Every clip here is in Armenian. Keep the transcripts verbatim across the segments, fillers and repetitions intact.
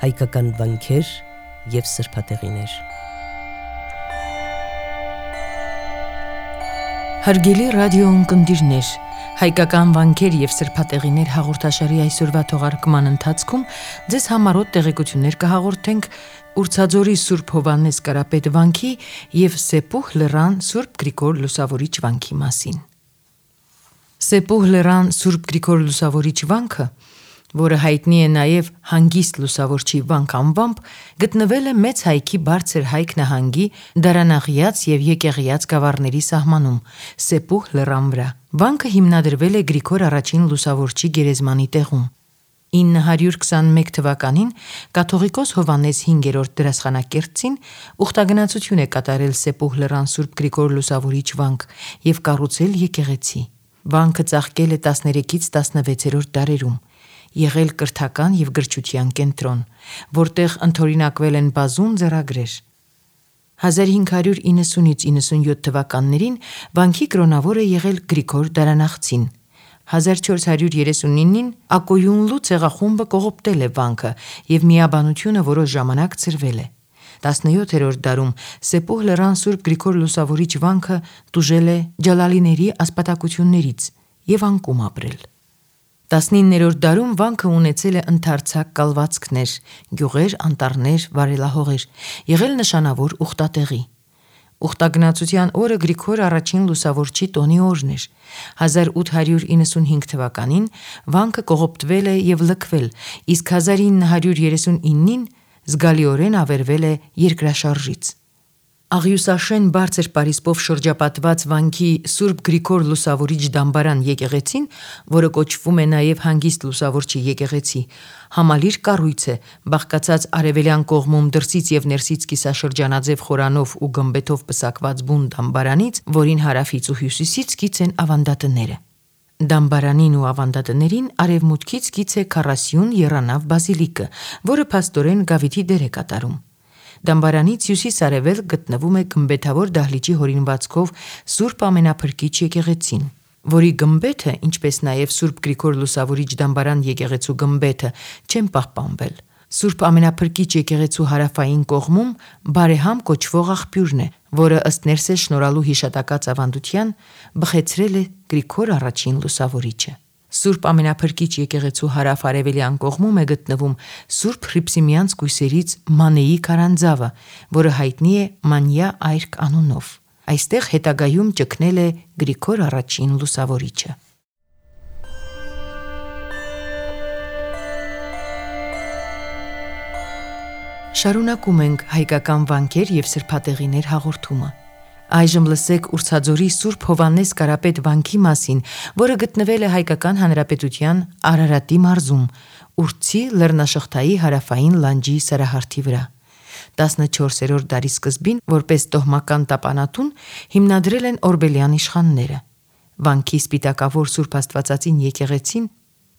հայկական վանքեր և սրբատեղիներ։ Հարգելի ռադիո ունկնդիրներ, հայկական վանքեր և սրբատեղիներ հաղորդաշարի այսօրվա թողարկման ընթացքում ձեզ համառոտ տեղեկություններ կհաղորդենք Ուրցաձորի Սուրբ Հովհաննես Կարապետ վանքի և Սեպուհ լեռան Սուրբ Գրիգոր Լուսավորիչ վանքի մասին։ Սեպուհ լեռան Սուրբ Գրիգոր Լուսավորիչ վանքը, որը հայտնի է նաև Հանգիստ Լուսավորչի վանք անվամբ, գտնվել է Մեծ Հայքի Բարձր Հայք նահանգի Դարանաղյաց և Եկեղիած գավառների սահմանում, Սեպուհ լեռան վրա։ Վանքը հիմնադրվել է Գրիգոր առաջին Լուսավորչի գերեզմանի տեղում։ ինը հարյուր քսաներեք թվականին կաթողիկոս Հովհաննես հինգերորդ դերասխանակերտցին ուխտագնացություն է կատարել Սեպուհ լեռան Սուրբ Գրիգոր Լուսավորիչ վանք և կառուցել եկեղեցի։ Վանքը ծաղկել է տասներեքից տասնվեցերորդ դարերում, եղել կրթական և գրչության կենտրոն, որտեղ ընդօրինակվել են բազում ձեռագրեր։ հազար հինգ հարյուր իննսունից իննսունյոթ թվականներին վանքի կրոնավոր է եղել Գրիգոր Դարանախցին։ հազար չորս հարյուր երեսունինին Ակոյունլու ցեղախումբը կողոպտել է վանքը և միաբանությունը որոշ ժամանակ ցրվել է։ տասնյոթերորդ դարում Սեպուհ լեռան Սուրբ Գրիգոր Լուսավորիչ վանքը տուժել է ջալալիների ասպատակություններից և անկում ապրել։ տասնիններորդ դարում վանքը ունեցել է ընդարձակ կալվածքներ, գյուղեր, անտառներ, վարելահողեր, եղել նշանավոր ուխտատեղի։ Ուխտագնացության օրը Գրիգոր առաջին Լուսավորչի տոնի օրն էր։ հազար ութ հարյուր իննսունհինգ թվականին վանքը կողոպտվել է և լքվել, իսկ հազար ինը հարյուր երեսունինին զգալիորեն ավերվել է երկրաշարժից։ Աղյուսաշեն բարձր պարիսպով շրջապատված վանքի Սուրբ Գրիգոր Լուսավորիչ դամբարան եկեղեցին, որը կոչվում է նաև Հանգիստ Լուսավորչի եկեղեցի, համալիր կառույց է, բաղկացած արևելյան կողմում դրսից և ներսից կիսաշրջանաձև խորանով ու գմբեթով պսակված բուն դամբարանից, որին հարավից ու հյուսիսից կից են ավանդատները։ Դամբարանին ու ավանդատներին արևմուտքից կից է քառասյուն եռանավ բազիլիկը, որը փաստորեն գավիթի դեր է կատարում։ Դամբարանից հյուսիս-արևելք գտնվում է գմբեթավոր դահլիճի հորինվածքով Սուրբ Ամենափրկիչ եկեղեցին, որի գմբեթը, ինչպես նաև Սուրբ Գրիգոր Լուսավորիչ դամբարան եկեղեցու գմբեթը, չեն պահպանվել։ Սուրբ Ամենափրկիչ եկեղեցու հարավային կողմում Բարեհամ կոչվող աղբյուրն է, որը ըստ Ներսես շնորհալու հիշատակած ավանդության բխեցրել է Գրիգոր առաջին Լուսավորիչը։ Սուրբ Ամենափրկիչ եկեղեցու հարավ-արևելյան կողմում է գտնվում Սուրբ Հռիփսիմյանց կույսերից Մանեի քարանձավը, որը հայտնի է Մանյա այրք անունով։ Այստեղ հետագայում ճգնել է Գրիգոր առաջին Լուսավորիչը։ Շարունակում ենք հայկական վանքեր և սրբատեղիներ հաղորդումը։ Այժմ լսեք Ուրցաձորի Սուրբ Հովհաննես Կարապետ վանքի մասին, որը գտնվել է Հայկական Հանրապետության Արարատի մարզում, Ուրցի լեռնաշղթայի հարավային լանջի սարահարթի վրա։ տասնչորսերորդ դարի սկզբին որպես տոհմական տապանատուն հիմնադրել են օրբելյան իշխանները։ Վանքի սպիտակավոր Սուրբ Աստվածածին եկեղեցին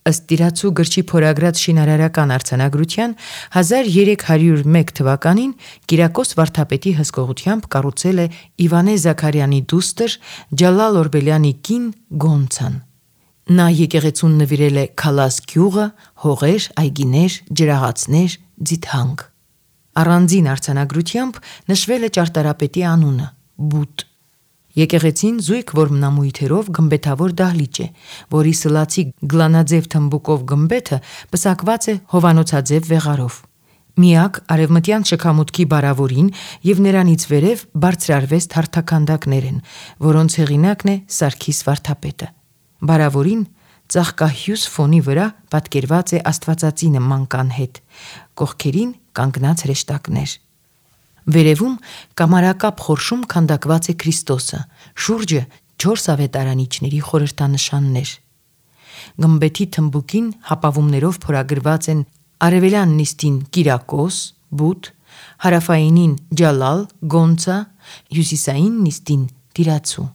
ըստ տիրացու գրչի փորագրած շինարարական արձանագրության հազար երեք հարյուր մեկ թվականին Կիրակոս վարդապետի հսկողությամբ կառուցել է Իվանե Զաքարյանի դուստր Ջալալ Օրբելյանի կին Գոնցան։ Նա եկեղեցուն նվիրել է քալաս գյուղը, հողեր, այգիներ, ջրաղացներ, ձիթանք։ Առանձին արձանագրությամբ նշվել է ճարտարապետի անունը՝ Բութ։ Եկեղեցին զույգ որմնամույթերով գմբեթավոր դահլիճ է, որի սլացի գլանաձև թմբուկով գմբեթը պսակված է հովանոցաձև վեղարով։ Միակ արևմտյան շքամուտքի բարավորին և նրանից վերև բարձրարվեստ հարթաքանդակներ են, որոնց հեղինակն է Սարգիս վարդապետը։ Բարավորին ծաղկահյուս ֆոնի վրա պատկերված է Աստվածածինը մանկան հետ, կողքերին կանգնած հրեշտակներ։ Վերևում կամարակապ խորշում քանդակված է Քրիստոսը, շուրջը չորս ավետարանիչների խորհրդանշաններ։ Գմբեթի թմբուկին հապավումներով փորագրված են արևելյան նիստին Կիրակոս, Բութ, հարավայինին Ջալալ, Գոնցա, հյուսիսային նիստին Տիրացու։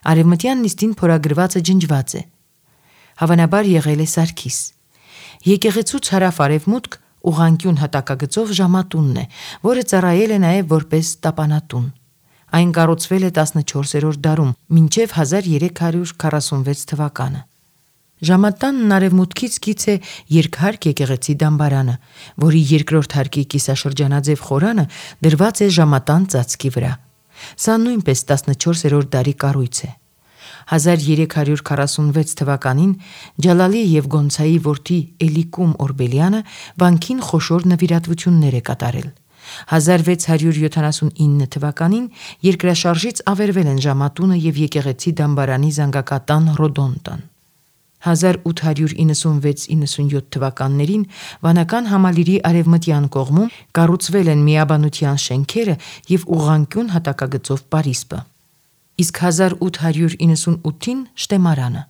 Արևմտյան նիստին փորագրվածը ջնջված է։ Հավանաբար եղել է Սարգիս։ Եկեղեցուց հարավ-արևմուտք ուղղանկյուն հատակագծով ժամատունն է, որը ծառայել է նաև որպես տապանատուն։ Այն կառուցվել է տասնչորսերորդ դարում, մինչև հազար երեք հարյուր քառասունվեց թվականը։ Ժամատանն արևմուտքից գից է երկհարկ եկեղեցի դամբարանը, որի երկրորդ հարկի կիսաշրջանաձև խորանը դրված է ժամատան ծածկի վրա։ Սա նույնպես տասնչորսերորդ դարի կառույց է։ հազար երեք հարյուր քառասունվեց թվականին Ջալալի եւ Գոնցայի որդի Էլիկում Օրբելյանը վանքին խոշոր նվիրատվություններ է կատարել։ հազար վեց հարյուր յոթանասունինը թվականին երկրաշարժից ավերվել են ժամատունը եւ եկեղեցի դամբարանի զանգակատան Ռոդոնտան։ հազար ութ հարյուր իննսունվեց իննսունյոթ թվականներին վանական համալիրի արևմտյան կողմում կառուցվել են միաբանության շենքերը եւ ուղղանկյուն հատակագծով պարիսպը։ Իսկ հազար ութ հարյուր իննսունութին շտեմարանը։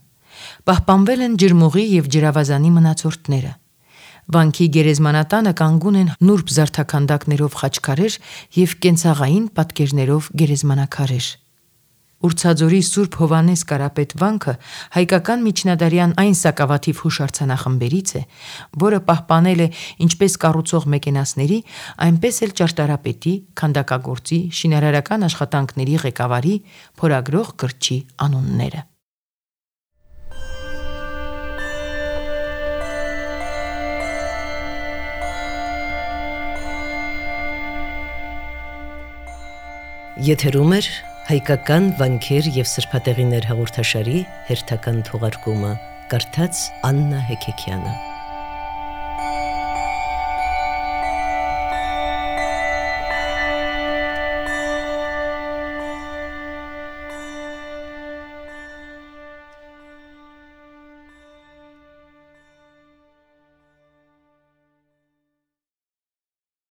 Պահպանվել են ջրմուղի եւ ջրավազանի մնացորդները։ Վանքի գերեզմանատանը կանգուն են նուրբ զարդաքանդակներով խաչքարեր եւ կենցաղային պատկերներով գերեզմանակարեր։ Ուրցաձորի Սուրբ Հովանես Կարապետ վանքը հայկական միջնադարյան այն սակավաթիվ հուշարձանախմբերից է, որը պահպանել է ինչպես կառուցող մեկենասների, այնպես էլ ճարտարապետի, քանդակագործի, շինարարական աշխատանքների ղեկավարի, փորագրող գրչի անունները։ Եթերում է հայկական վանքեր եւ սրբատեղիներ հաղորդաշարի հերթական թողարկումը, կարդաց Աննա Հեքեքյանը։